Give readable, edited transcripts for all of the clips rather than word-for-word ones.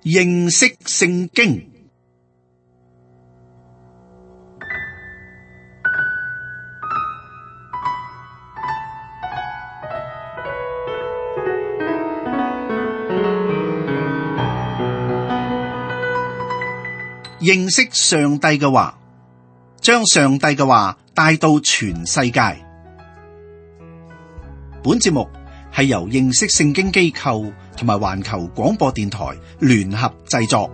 認識聖經。認識上帝嘅話，將上帝嘅話帶到全世界。本節目係由認識聖經機構同埋環球廣播電台聯合製作。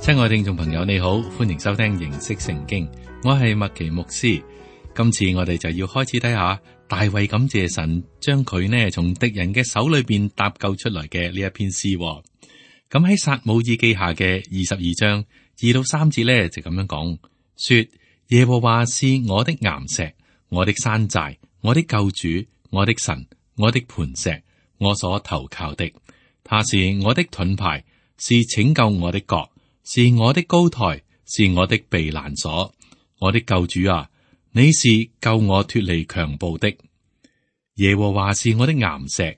親愛聽眾朋友，你好，歡迎收聽認識聖經，我係麥奇牧師。今次我哋就要開始睇下大衛感謝神將佢呢從敵人嘅手裏邊搭救出來嘅呢一篇詩。咁喺撒母耳記下嘅22章2到3節呢，就咁樣講，說耶和華是我的岩石，我的山寨，我的救主，我的神，我的磐石，我所投靠的。他是我的盾牌，是拯救我的角，是我的高台，是我的避難所。我的救主啊，你是救我脫離強暴的。耶和華是我的岩石，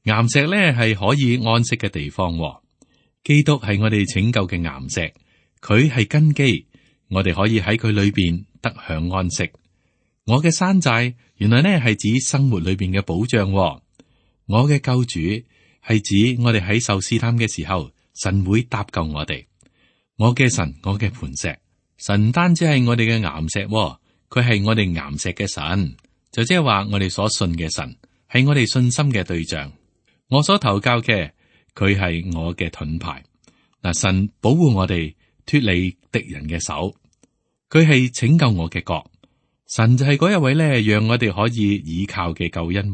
岩石呢係可以安息嘅地方。基督係我哋拯救嘅岩石，佢係根基，我哋可以喺佢裏邊得享安息。我嘅山寨原來呢係指生活裏邊嘅保障。我嘅救主係指我哋喺受試探嘅時候，神會搭救我哋。我嘅神，我嘅磐石，神唔單止係我哋嘅岩石，佢係我哋岩石嘅神，就即係話我哋所信嘅神係我哋信心嘅對象。我所投靠嘅，佢係我嘅盾牌。嗱，神保護我哋脫離敵人嘅手，佢係拯救我嘅角。神就係嗰一位咧，讓我哋可以倚靠嘅救恩。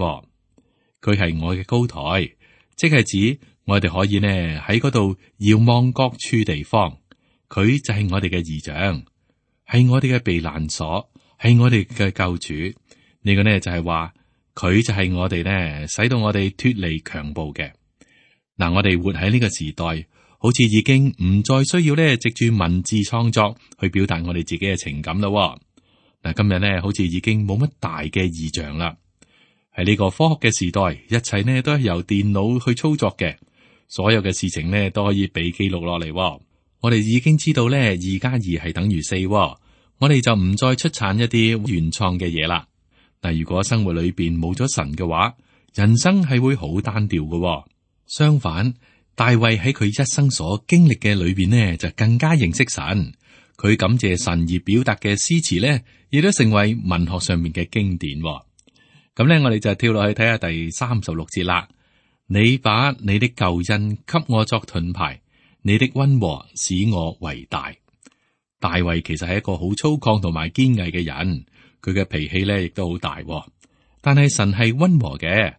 佢係我嘅高台，即係指我哋可以呢喺嗰度遙望各處地方。佢就係我哋嘅異象，係我哋嘅避難所，係我哋嘅救主。呢個呢就係話，佢就係我哋呢使到我哋脫離強暴嘅。嗱，我哋活喺呢個時代，好似已經唔再需要呢藉住文字創作去表達我哋自己嘅情感咯。嗱，今日呢好似已經冇乜大嘅異象啦。喺呢個科學嘅時代，一切呢都係由電腦去操作嘅，所有嘅事情呢都可以被記錄落嚟。我哋已經知道呢2+2係等於4，我哋就唔再出產一啲原創嘅嘢啦。但如果生活裏邊冇咗神嘅話，人生係會好單調嘅。相反，大衛喺佢一生所經歷嘅裏邊呢，就更加認識神。佢感謝神而表達嘅詩詞呢，亦都成為文學上面嘅經典。咁呢，我哋就跳落去睇下第36節啦。你把你的救恩給我作盾牌，你的溫和使我為大。大衛其實係一個好粗獷同埋堅毅嘅人，佢嘅脾氣咧亦都好大。但係神係溫和嘅，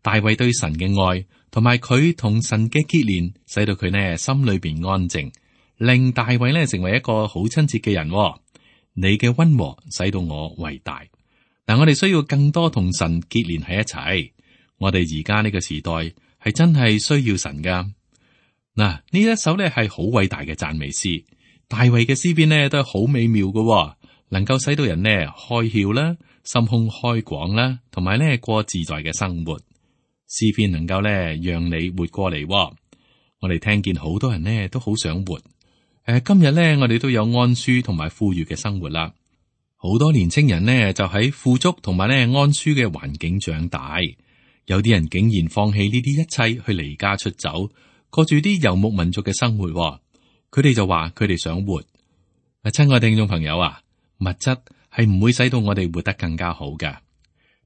大衛對神嘅愛同埋佢同神嘅結連，使到佢呢心裏邊安靜，令大衛呢成為一個好親切嘅人。你嘅溫和使到我為大。嗱，我哋需要更多同神結連喺一齊。我哋而家呢個時代係真係需要神噶。嗱，呢一首咧係好偉大嘅讚美詩，大衛嘅詩篇呢都係好美妙嘅，能夠使到人呢開竅啦，心胸開廣啦，同埋呢過自在嘅生活。詩篇能夠呢讓你活過嚟。我哋聽見好多人呢都好想活。今日呢我哋都有安舒同埋富裕嘅生活啦。好多年青人呢就喺富足同埋呢安舒嘅環境長大，有啲人竟然放棄呢啲一切去離家出走，過住啲游牧民族嘅生活。佢哋就話佢哋想活。親愛聽眾朋友啊，物質係唔會使到我哋活得更加好嘅。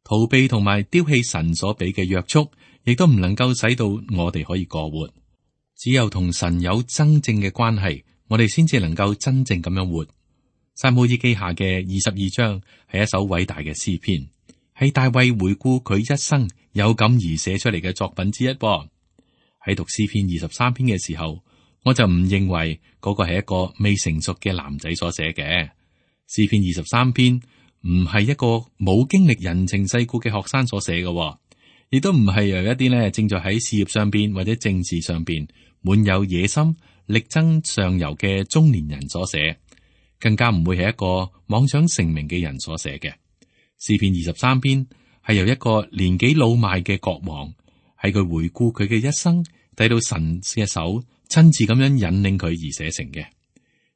逃避同埋丟棄神所俾嘅約束，亦都唔能夠使到我哋可以過活。只有同神有真正嘅關係，我哋先至能夠真正咁樣活。撒母耳記下嘅22章係一首偉大嘅詩篇，係大衛回顧佢一生有感而寫出嚟嘅作品之一。喺讀詩篇23篇嘅時候，我就唔認為嗰個係一個未成熟嘅男仔所寫嘅。詩篇23篇唔係一個冇經歷人情世故嘅學生所寫嘅，亦都唔係由一啲呢正在喺事業上邊或者政治上邊滿有野心、力爭上游嘅中年人所寫，更加唔會係一個妄想成名嘅人所寫嘅。詩篇23篇係由一個年紀老邁嘅國王，喺佢回顧佢嘅一生，睇到神嘅手親自咁樣引領佢而寫成嘅。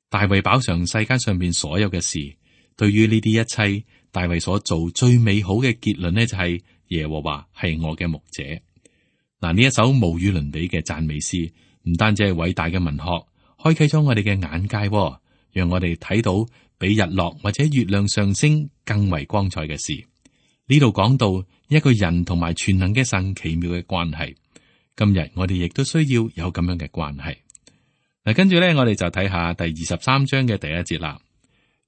大衛飽嘗世界上邊所有嘅事，對於呢啲一切，大衛所做最美好嘅結論呢，就係耶和華係我嘅牧者。嗱，呢一首無與倫比嘅讚美詩，唔單止係偉大嘅文學，開啟咗我哋嘅眼界，讓我哋睇到比日落或者月亮上升更為光彩嘅事。呢度講到一個人同埋全能嘅神奇妙嘅關係。今日我哋亦都需要有咁樣嘅關係。嗱，跟住咧，我哋就睇下第23章嘅第1節啦。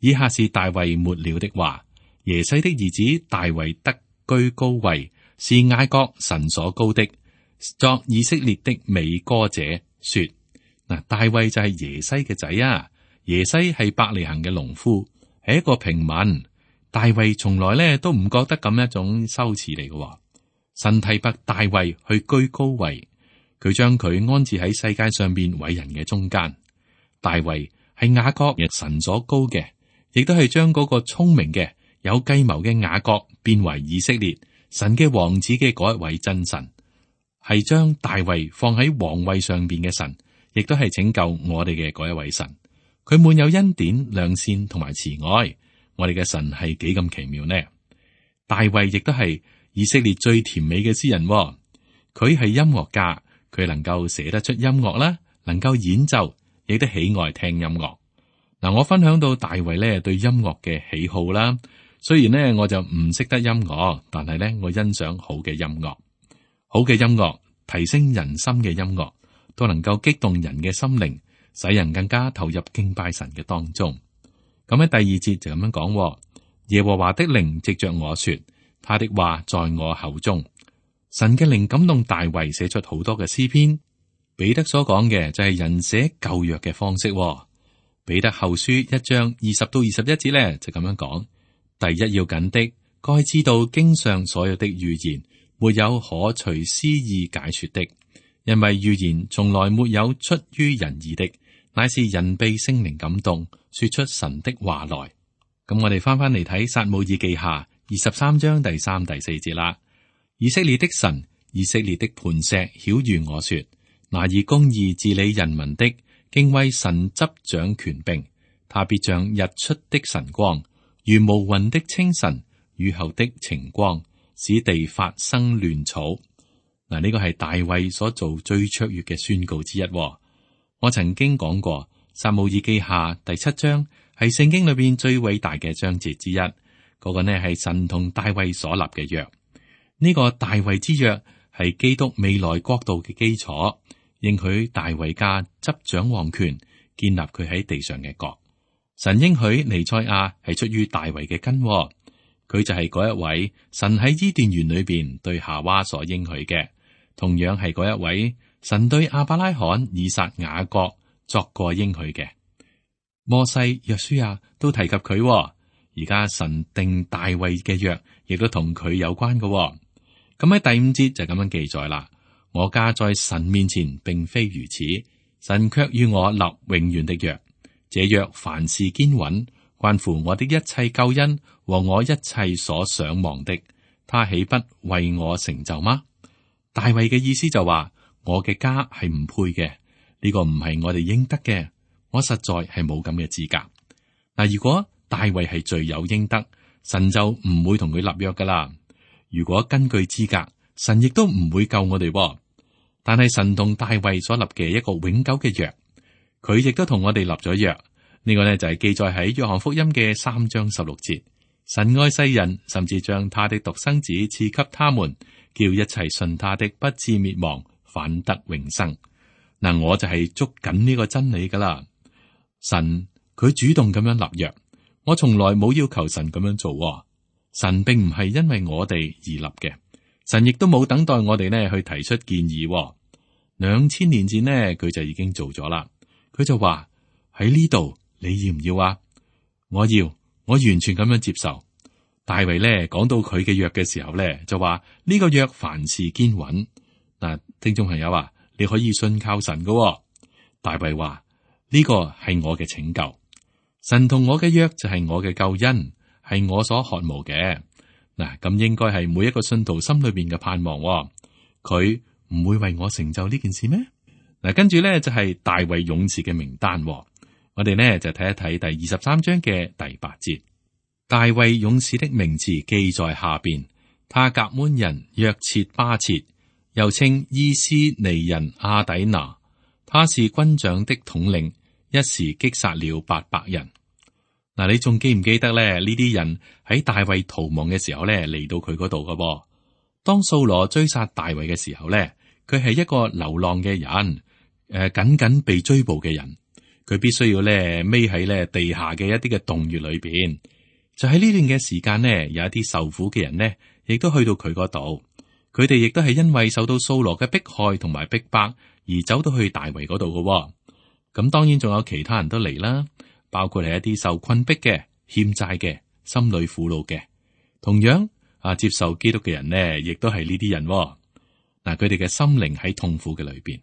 以下是大衛末了的話：耶西的兒子大衛得居高位，是雅各神所高的，作以色列的美歌者說。嗱，大衛就係耶西嘅仔啊。耶西係伯利恆嘅農夫，係一個平民。大衛從來咧都唔覺得咁一種羞恥嚟嘅。神提拔大衛去居高位，佢將佢安置喺世界上邊偉人嘅中間。大衛係雅各神所高嘅，亦都係將嗰個聰明嘅有計謀嘅雅各變為以色列神嘅王子嘅嗰一位真神，係將大衛放喺皇位上邊嘅神，亦都係拯救我哋嘅嗰一位神。佢滿有恩典、良善同埋慈愛。我哋嘅神係幾咁奇妙呢？大衛亦都係以色列最甜美嘅詩人。佢係音樂家，佢能夠寫得出音樂啦，能夠演奏，亦都喜愛聽音樂。嗱，我分享到大衛咧對音樂嘅喜好啦。雖然呢，我就唔識得音樂，但係咧我欣賞好嘅音樂。好嘅音樂，提升人心嘅音樂，都能夠激動人嘅心靈，使人更加投入敬拜神嘅當中。咁喺第2節就咁樣講：耶和華的靈藉着我說，他的話在我口中。神嘅靈感動大衛寫出好多嘅詩篇。彼得所講嘅就係人寫舊約嘅方式。彼得後書1章20到21節咧就咁樣講：第一要緊的，該知道經上所有的預言，沒有可隨私意解說的，因為預言從來沒有出於人意的，乃是人被聖靈感動，說出神的話來。咁我哋翻嚟睇撒母耳記下23章第3、第4節啦。以色列的神，以色列的磐石，曉諭我說：拿以公義治理人民的，敬畏神執掌權柄，他必像日出的晨光，如無雲的清晨，雨後的晴光，使地發生亂草。嗱，呢個係大衛所做最卓越嘅宣告之一。我曾經講過，撒母耳記下第7章係聖經裏邊最偉大嘅章節之一。嗰個呢係神同大衛所立嘅約。呢個大衛之約係基督未來國度嘅基礎，應許大衛家執掌王權，建立佢喺地上嘅國。神應許彌賽亞係出於大衛嘅根，佢就係嗰一位神喺伊甸園裏邊對夏娃所應許嘅，同樣係嗰一位神對亞伯拉罕、以撒、雅各作過應許嘅。摩西、約書亞都提及佢，而家神定大衛嘅約，亦都同佢有關嘅。咁喺第5節就咁樣記載啦。我家在神面前並非如此，神卻與我立永遠的約。這約凡事堅穩，關乎我的一切救恩和我一切所想望的，他豈不為我成就嗎？大衛嘅意思就話，我嘅家係唔配嘅，呢個唔係我哋應得嘅，我實在係冇咁嘅資格。嗱，如果大衛係罪有應得，神就唔會同佢立約噶啦。如果根據資格，神亦都唔會救我哋。但係神同大衛所立嘅一個永久嘅約，佢亦都同我哋立咗約。呢個呢就係記載喺約翰福音嘅3章16節。神愛世人，甚至將他的獨生子賜給他們，叫一切信他的不至滅亡，反得永生。嗱，我就係捉緊呢個真理噶啦。神佢主動咁樣立約，我從來冇要求神咁樣做。神並唔係因為我哋而立嘅，神亦都冇等待我哋呢去提出建議。2000年前呢，佢就已經做咗啦。佢就話喺呢度，你要唔要啊？我要，我完全咁樣接受。大衛呢講到佢嘅約嘅時候呢，就話呢個約凡事堅穩。嗱，聽眾朋友啊，你可以信靠神㗎。大衛話呢個係我嘅拯救，神同我嘅約就係我嘅救恩。係我所渴慕嘅，嗱，咁應該係每一個信徒心裏邊嘅盼望。佢唔會為我成就呢件事咩？嗱，跟住咧就係大衛勇士嘅名單。我哋呢就睇一睇第23章嘅第8節。大衛勇士的名字記在下邊，他革捫人約設巴設，又稱伊斯尼人亞底拿，他是軍長的統領，一時擊殺了800人。嗱，你仲記唔記得咧？呢啲人喺大衛逃亡嘅時候咧，嚟到佢嗰度嘅。當掃羅追殺大衛嘅時候咧，佢係一個流浪嘅人，緊緊被追捕嘅人，佢必須要咧匿喺咧地下嘅一啲嘅洞穴裏邊。就喺呢段嘅時間呢，有一啲受苦嘅人呢，亦都去到佢嗰度。佢哋亦都係因為受到掃羅嘅迫害同埋逼迫而走到去大衛嗰度嘅。咁當然仲有其他人都嚟啦。包括係一啲受困迫嘅、欠債嘅、心裏苦惱嘅，同樣接受基督嘅人呢，亦都係呢啲人。嗱，佢哋嘅心靈喺痛苦嘅裏邊，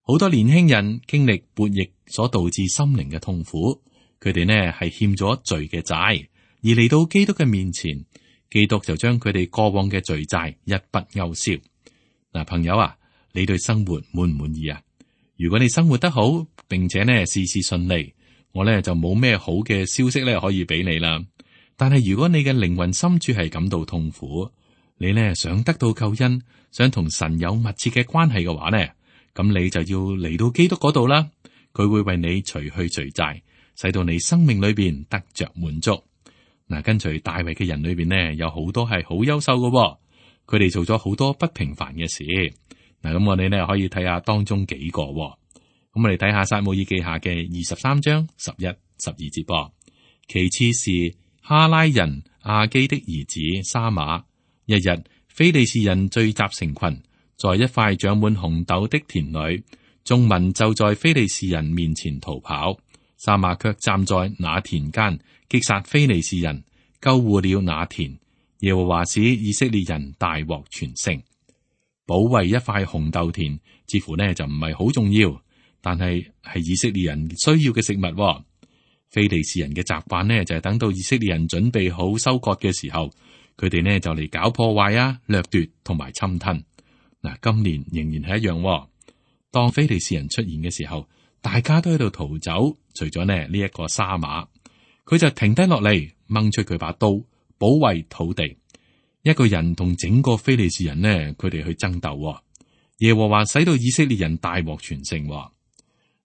好多年輕人經歷悖逆所導致心靈嘅痛苦，佢哋呢係欠咗罪嘅債，而嚟到基督嘅面前，基督就將佢哋過往嘅罪債一筆勾銷。嗱，朋友啊，你對生活滿唔滿意啊？如果你生活得好，並且呢事事順利，我咧就冇咩好嘅消息咧可以俾你啦。但係如果你嘅靈魂深處係感到痛苦，你咧想得到救恩，想同神有密切嘅關係嘅話咧，咁你就要嚟到基督嗰度啦。佢會為你除去罪債，使到你生命裏邊得着滿足。嗱，跟隨大衛嘅人裏邊呢，有好多係好優秀嘅，佢哋做咗好多不平凡嘅事。嗱，咁我哋呢可以睇下當中幾個。咁我哋睇下撒母耳記下嘅23章11、12節噃。其次是哈拉人亞基的兒子沙馬。一日，非利士人聚集成群，在一塊長滿紅豆的田裏，眾民就在非利士人面前逃跑。沙馬卻站在那田間，擊殺非利士人，救護了那田。耶和華使以色列人大獲全勝。保衛一塊紅豆田，似乎呢就唔係好重要。但係以色列人需要嘅食物。非利士人嘅習慣呢，就係等到以色列人準備好收割嘅時候，佢哋呢就嚟搞破壞啊、掠奪同埋侵吞。嗱，今年仍然係一樣。當非利士人出現嘅時候，大家都喺度逃走，除咗呢一個沙馬，佢就停低落嚟，掹出佢把刀，保衛土地。一個人同整個非利士人呢，佢哋去爭鬥。耶和華使到以色列人大獲全勝。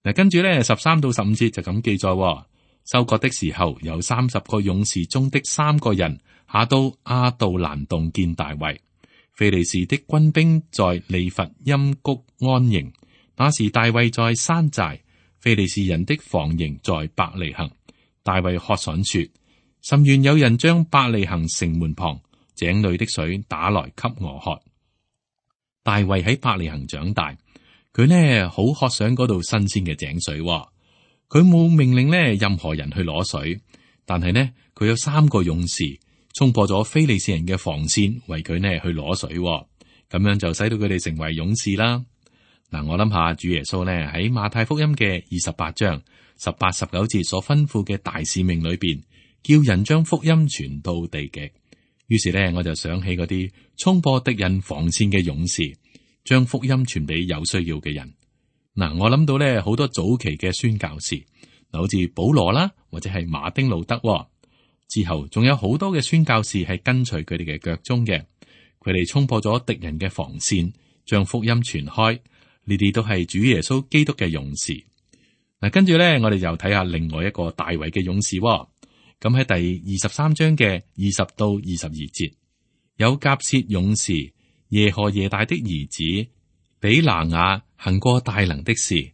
嗱，跟住咧13到15節就咁記載，收割的時候，有30個勇士中的3個人下到亞杜蘭洞見大衛。非利士的軍兵在利乏音谷安營，那時大衛在山寨，非利士人的防營在伯利恆。大衛喝爽說：甚願有人將伯利恆城門旁井裏的水打來給我喝。大衛喺伯利恆長大。佢呢好渴想嗰度新鮮嘅井水。佢冇命令呢任何人去攞水，但係呢佢有3個勇士衝破咗非利士人嘅防線，為佢呢去攞水。咁樣就使到佢哋成為勇士啦。嗱，我諗下主耶穌呢喺馬太福音嘅28章18、19節所吩咐嘅大使命裏邊，叫人將福音傳到地極。於是呢我就想起嗰啲衝破敵人防線嘅勇士，將福音傳俾有需要嘅人。嗱，我諗到咧好多早期嘅宣教士，嗱，好似保羅啦，或者係馬丁路德。之後仲有好多嘅宣教士係跟隨佢哋嘅腳蹤嘅，佢哋衝破咗敵人嘅防線，將福音傳開。呢啲都係主耶穌基督嘅勇士。嗱，跟住咧，我哋又睇下另外一個大衛嘅勇士。咁喺第23章嘅20到22節，有甲薛勇士耶何耶大的兒子比拿雅行過大能的事，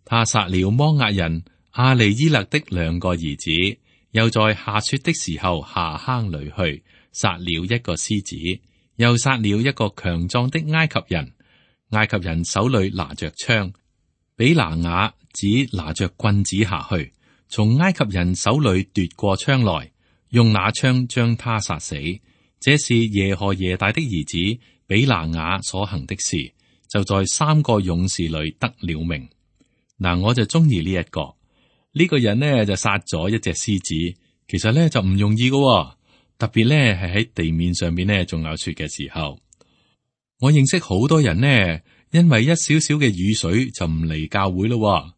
他殺了摩押人亞利伊勒的2個兒子，又在下雪的時候下坑裏去，殺了一個獅子，又殺了一個強壯的埃及人。埃及人手裏拿着槍，比拿雅只拿着棍子下去，從埃及人手裏奪過槍來，用那槍將他殺死。這是耶何耶大的兒子比拿雅所行的事，就在3個勇士裏得了名。嗱，我就中意呢一個人呢就殺咗一隻獅子，其實呢就唔容易㗎。特別咧係喺地面上面咧仲有雪嘅時候。我認識好多人呢，因為一少少嘅雨水就唔嚟教會咯。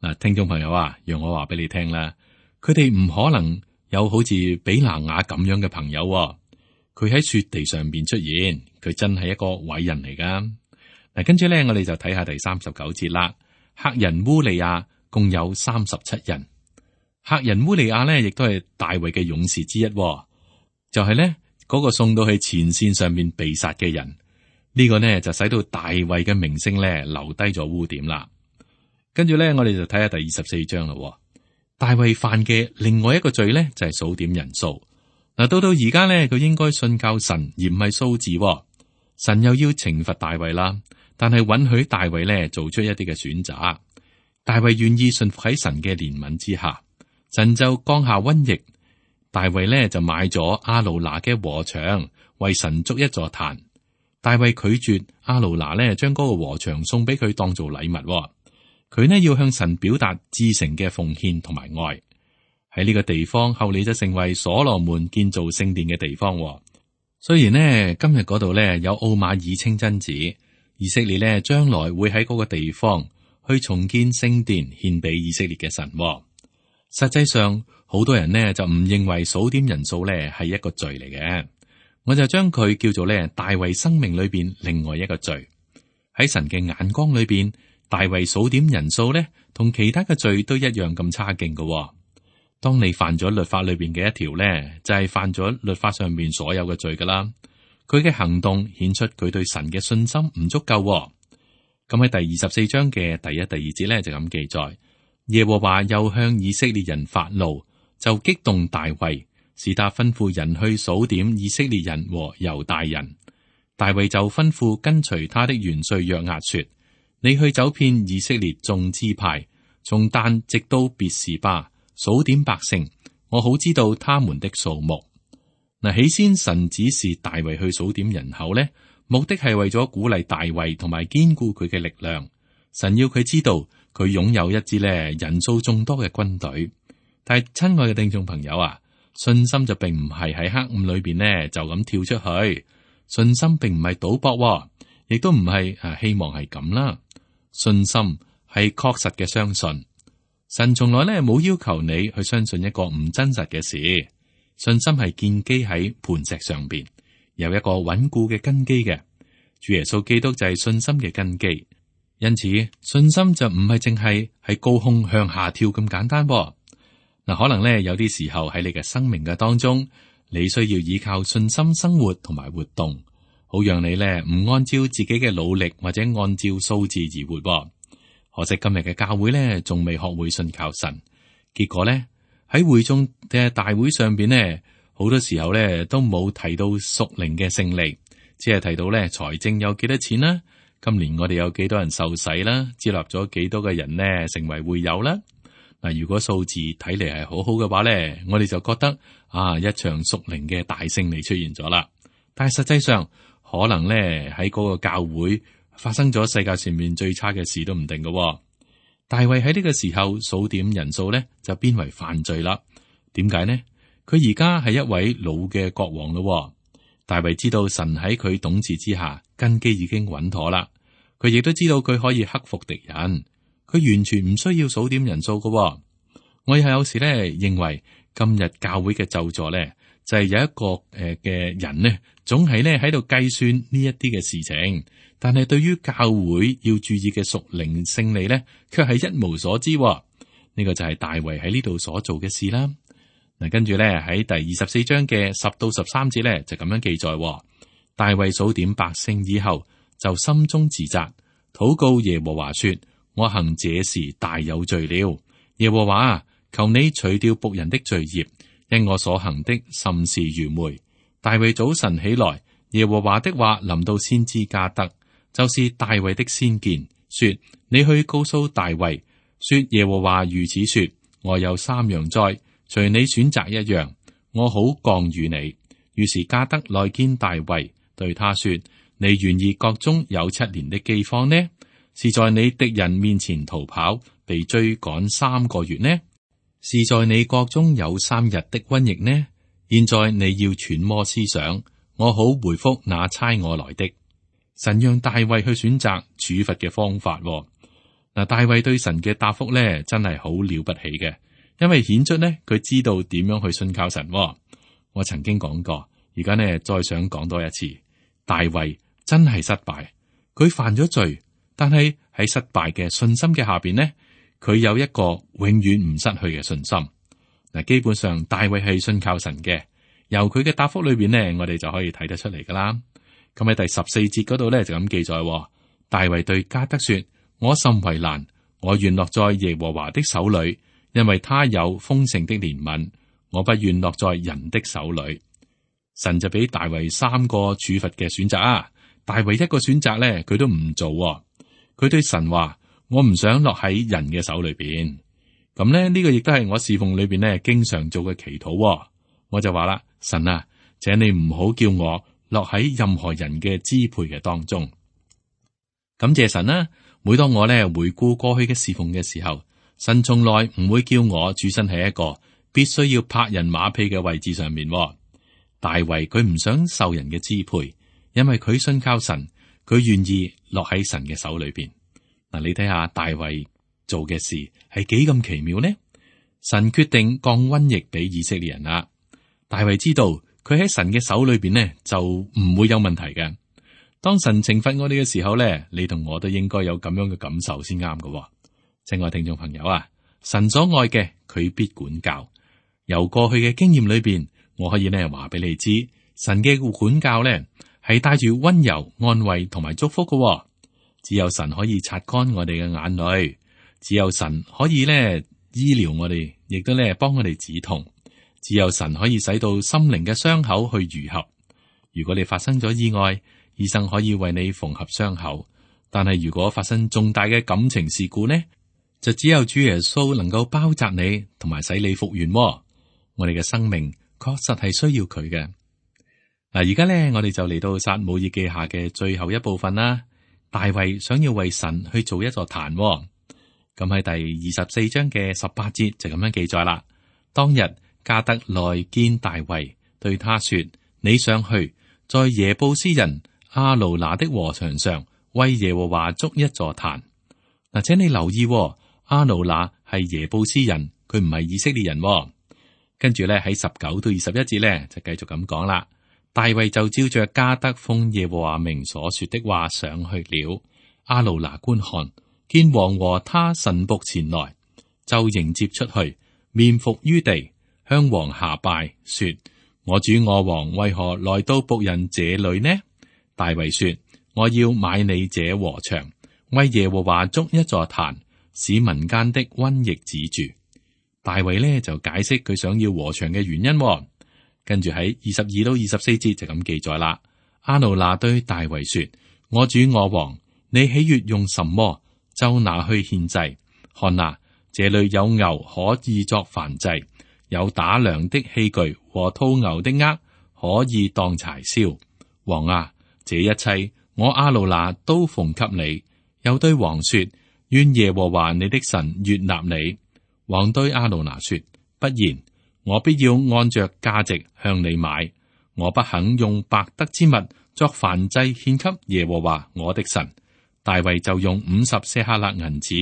嗱，聽眾朋友啊，讓我話俾你聽啦，佢哋唔可能有好似比拿雅咁樣嘅朋友。佢喺雪地上邊出現，佢真係一個偉人嚟噶。嗱，跟住咧，我哋就睇下第39節啦。赫人烏利亞共有37人。赫人烏利亞呢，亦都係大衛嘅勇士之一，就係呢嗰個送到去前線上面被殺嘅人。呢個呢就使到大衛嘅名聲咧留低咗污點啦。跟住咧，我哋就睇下第24章啦。大衛犯嘅另外一個罪咧就係數點人數。嗱，到而家咧，佢應該信靠神而唔係數字。神又要懲罰大衛啦，但係允許大衛咧做出一啲嘅選擇。大衛願意信服喺神嘅憐憫之下，神就降下瘟疫。大衛咧就買咗亞魯拿嘅禾場，為神築一座壇。大衛拒絕亞魯拿咧，將嗰個禾場送俾佢當做禮物。佢呢要向神表達至誠嘅奉獻同埋愛。喺呢個地方，後嚟就成為所羅門建造聖殿嘅地方。雖然呢今日嗰度呢有奧馬爾清真寺，以色列呢將來會喺嗰個地方去重建聖殿，獻俾以色列嘅神。實際上，好多人呢就唔認為數點人數呢係一個罪嚟嘅。我就將佢叫做咧大衛生命裏邊另外一個罪。喺神嘅眼光裏邊，大衛數點人數咧，同其他嘅罪都一樣咁差勁嘅。當你犯咗律法裏邊嘅一條咧，就係犯咗律法上面所有嘅罪噶啦。佢嘅行動顯出佢對神嘅信心唔足夠。咁喺第24章嘅第1、第2節咧就咁記載：耶和華又向以色列人發怒，就激動大衛。使他吩咐人去數點以色列人和猶大人。大衛就吩咐跟隨他的元帥約押說：你去走遍以色列眾支派，從但直到別是巴，數點百姓，我好知道他們的數目。嗱，起先神指示大衛去數點人口呢，目的係為咗鼓勵大衛同埋堅固佢嘅力量。神要佢知道佢擁有一支咧人數眾多嘅軍隊。但係親愛嘅聽眾朋友啊，信心就並唔係喺黑暗裏邊呢就咁跳出去，信心並唔係賭博，亦都唔係希望係咁啦。信心係確實嘅相信，神從來呢冇要求你去相信一個唔真實嘅事。信心係建基喺磐石上邊，有一個穩固嘅根基嘅。主耶穌基督就係信心嘅根基，因此信心就唔係淨係喺高空向下跳咁簡單。嗱，可能咧有啲時候喺你嘅生命嘅當中，你需要依靠信心生活同埋活動，好讓你咧唔按照自己嘅努力或者按照數字而活。可惜今日嘅教會咧仲未學會信靠神，結果咧喺會眾嘅大會上邊呢，好多時候咧都冇提到屬靈嘅勝利，只係提到咧財政有幾多錢啦，今年我哋有幾多人受洗啦，接納咗幾多嘅人呢成為會友啦。嗱，如果數字睇嚟係好好嘅話咧，我哋就覺得一場屬靈嘅大勝利出現咗啦。但係實際上可能咧喺嗰個教會發生咗世界上面最差嘅事都唔定嘅。大衛喺呢個時候數點人數咧就變為犯罪啦。點解呢？佢而家係一位老嘅國王咯。大衛知道神喺佢統治之下根基已經穩妥啦，佢亦都知道佢可以克服敵人。佢完全唔需要數點人數嘅。我有時咧認為今日教會嘅咒詛咧就係有一個嘅人呢，總係咧喺度計算呢一啲嘅事情，但係對於教會要注意嘅屬靈勝利咧，卻係一無所知。呢個就係大衛喺呢度所做嘅事啦。嗱，跟住咧喺第24章嘅10到13節咧就咁樣記載：大衛數點百姓以後，就心中自責，禱告耶和華說：我行這事大有罪了。耶和華，求你除掉僕人的罪孽，因我所行的甚是愚昧。大衛早晨起來，耶和華的話臨到先知加得，就是大衛的先見，說：你去告訴大衛，說耶和華如此說：我有3樣災，隨你選擇一樣，我好降與你。於是加得來見大衛，對他說：你願意國中有7年的饑荒呢？是在你敵人面前逃跑，被追趕3個月呢？是在你國中有3日的瘟疫呢？現在你要揣摩思想，我好回復那差我來的。神讓大衛去選擇處罰嘅方法。嗱，大衛對神嘅答覆咧，真係好了不起嘅，因為顯出呢，佢知道點樣去信靠神。我曾經講過，而家呢再想講多一次，大衛真係失敗，佢犯咗罪，但係喺失敗嘅信心嘅下邊呢，佢有一個永遠唔失去嘅信心。嗱，基本上大衛係信靠神嘅，由佢嘅答覆裏邊呢，我哋就可以睇得出嚟噶啦。咁喺第14節嗰度咧就咁記載，大衛對加得說：我甚為難，我願落在耶和華的手裏，因為他有豐盛的憐憫，我不願落在人的手裏。神就俾大衛3個處罰嘅選擇啊，大衛一個選擇咧佢都唔做。佢對神話：我唔想落喺人嘅手裏邊。咁咧呢個亦都係我侍奉裏邊咧經常做嘅祈禱。我就話啦，神啊，請你唔好叫我落喺任何人嘅支配嘅當中。感謝神啦！每當我咧回顧過去嘅侍奉嘅時候，神從來唔會叫我處身喺一個必須要拍人馬屁嘅位置上面。大衛佢唔想受人嘅支配，因為佢信靠神，佢願意落喺神嘅手裏邊。嗱，你睇下大衛做嘅事係幾咁奇妙呢？神決定降瘟疫俾以色列人啦。大衛知道佢喺神嘅手裏邊呢，就唔會有問題嘅。當神懲罰我哋嘅時候咧，你同我都應該有咁樣嘅感受先啱嘅。親愛聽眾朋友啊，神所愛嘅佢必管教。由過去嘅經驗裏邊，我可以呢話俾你知，神嘅管教咧係帶住溫柔、安慰同埋祝福嘅。只有神可以擦乾我哋嘅眼淚，只有神可以呢醫療我哋，亦都呢幫我哋止痛。只有神可以使到心靈嘅傷口去愈合。如果你發生咗意外，醫生可以為你縫合傷口，但係如果發生重大嘅感情事故呢，就只有主耶穌能夠包紮你，同埋使你復原。我哋嘅生命確實係需要佢嘅。嗱，而家呢，我哋就嚟到撒母耳記下嘅最後一部分啦。大衛想要為神去做一座壇，咁喺第24章嘅18節就咁樣記載啦。當日加得來見大衛，對他說：你上去，在耶布斯人亞勞拿的禾場上為耶和華築一座壇。嗱，請你留意，亞勞拿係耶布斯人，佢唔係以色列人。跟住咧喺19到21節咧就繼續咁講啦。大衛就照着加得奉耶和華名所說的話上去了。亞勞拿觀看，見王和他臣僕前來，就迎接出去，面伏於地，向王下拜，說：我主我王為何來到僕人這裏呢？大衛說：我要買你這禾場，為耶和華築一座壇，使民間的瘟疫止住。大衛呢就解釋佢想要禾場嘅原因。跟住喺22到24節就咁記載啦。亞勞拿對大衛說：我主我王，你喜悅用什麼，就拿去獻祭。看哪，這裏有牛可以作燔祭，有打糧的器具和套牛的軛可以當柴燒。王啊，這一切我亞勞拿都奉給你。又對王說：願耶和華你的神悅納你。王對亞勞拿說：不然，我必要按着價值向你買。我不肯用白得之物作燔祭獻給耶和華我的神。大衛就用50舍客勒銀子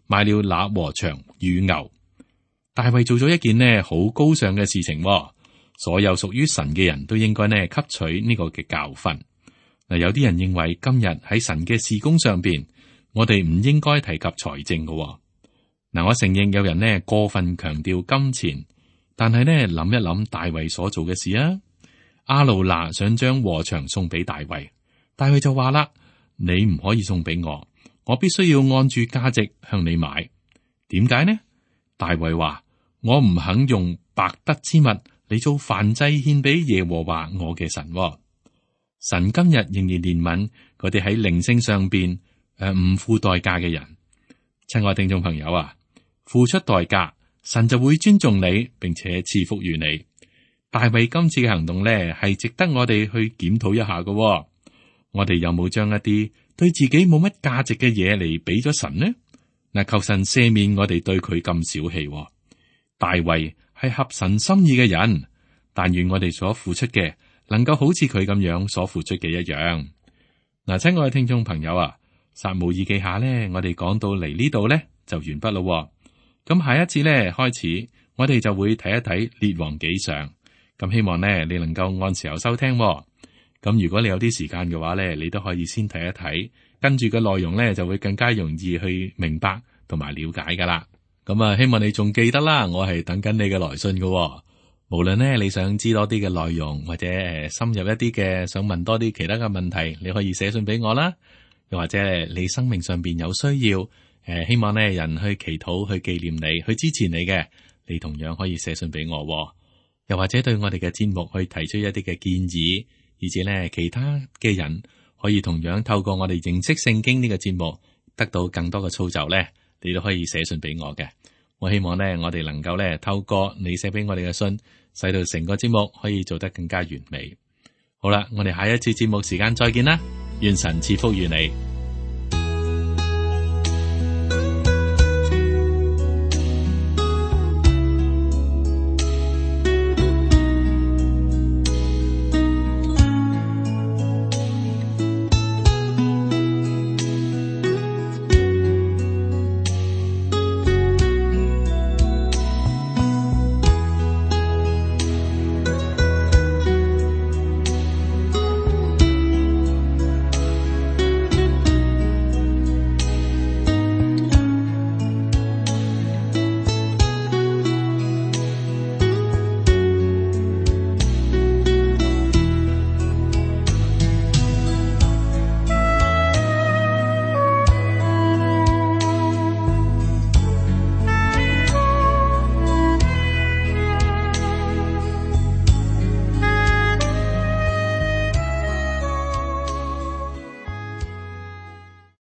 買了那禾場與牛。大衛做咗一件呢好高尚嘅事情。所有屬於神嘅人都應該呢吸取呢個嘅教訓。嗱，有啲人認為今日喺神嘅事工上邊，我哋唔應該提及財政嘅。嗱，我承認有人呢過分強調金錢，但係呢諗一諗大衛所做嘅事啊。亞勞拿想將禾場送俾大衛，大衛就話啦：你唔可以送俾我，我必須要按住價值向你買。點解呢？大衛話：我唔肯用白得之物嚟做燔祭獻俾耶和華我嘅神。神今日仍然憐憫嗰啲喺靈性上邊唔付代價嘅人。親愛聽眾朋友啊，付出代價，神就會尊重你，並且賜福於你。大衛今次嘅行動咧，係值得我哋去檢討一下嘅。我哋有冇將一啲對自己冇乜價值嘅嘢嚟俾咗神呢？嗱，求神赦免我哋對佢咁小氣。大衛係合神心意嘅人，但願我哋所付出嘅能夠好似佢咁樣所付出嘅一樣。嗱，親愛嘅聽眾朋友啊，撒母耳記下呢，我哋講到嚟呢度呢，就完畢咯。咁下一次呢，開始，我哋就會睇一睇列王紀上。咁希望呢，你能夠按時候收聽。咁如果你有啲時間嘅話呢，你都可以先睇一睇，跟住嘅內容呢，就會更加容易去明白同埋了解噶啦。咁啊，希望你仲記得啦，我係等緊你嘅來信嘅。無論呢，你想知多啲嘅內容，或者深入一啲嘅想問多啲其他嘅問題，你可以寫信俾我啦。又或者你生命上邊有需要，希望呢人去祈禱、去紀念你、去支持你嘅，你同樣可以寫信俾我。又或者對我哋嘅節目去提出一啲嘅建議，以至呢其他嘅人可以同樣透過我哋認識聖經呢個節目，得到更多嘅操就呢，你都可以寫信俾我嘅。我希望呢，我哋能夠呢透過你寫俾我哋嘅信，使到成個節目可以做得更加完美。好啦，我哋下一次節目時間再見啦，願神賜福於你。